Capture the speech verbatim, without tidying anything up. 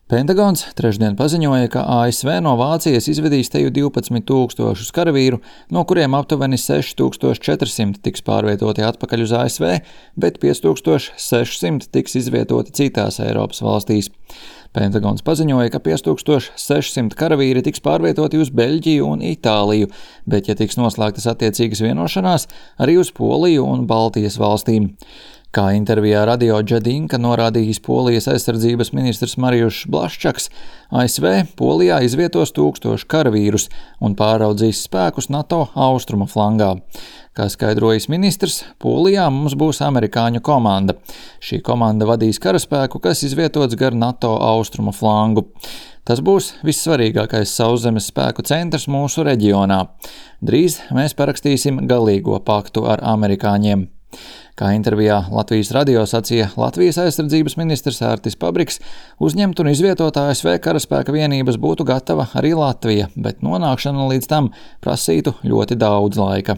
Pentagons trešdien paziņoja, ka A S V no Vācijas izvedīs teju divpadsmit tūkstošus karavīru, no kuriem aptuveni seši tūkstoši četri simti tiks pārvietoti atpakaļ uz A S V, bet pieci tūkstoši seši simti tiks izvietoti citās Eiropas valstīs. Pentagons paziņoja, ka pieci tūkstoši seši simti karavīri tiks pārvietoti uz Beļģiju un Itāliju, bet, ja tiks noslēgtas attiecīgas vienošanās, arī uz Poliju un Baltijas valstīm. Kā intervijā Radio Džedinka norādījis Polijas aizsardzības ministrs Marijušs Blaščaks, A S V Polijā izvietos tūkstošu karavīrus un pāraudzīs spēkus NATO austrumu flangā. Kā skaidrojis ministrs, Polijā mums būs amerikāņu komanda. Šī komanda vadīs karaspēku, kas izvietots gar NATO austrumu flangu. Tas būs vissvarīgākais sauszemes spēku centrs mūsu reģionā. Drīz mēs parakstīsim galīgo paktu ar amerikāņiem. Kā intervijā Latvijas radio sacīja Latvijas aizsardzības ministrs Ārtis Pabriks, uzņemt un izvietot A S V karaspēka vienības būtu gatava arī Latvija, bet nonākšana līdz tam prasītu ļoti daudz laika.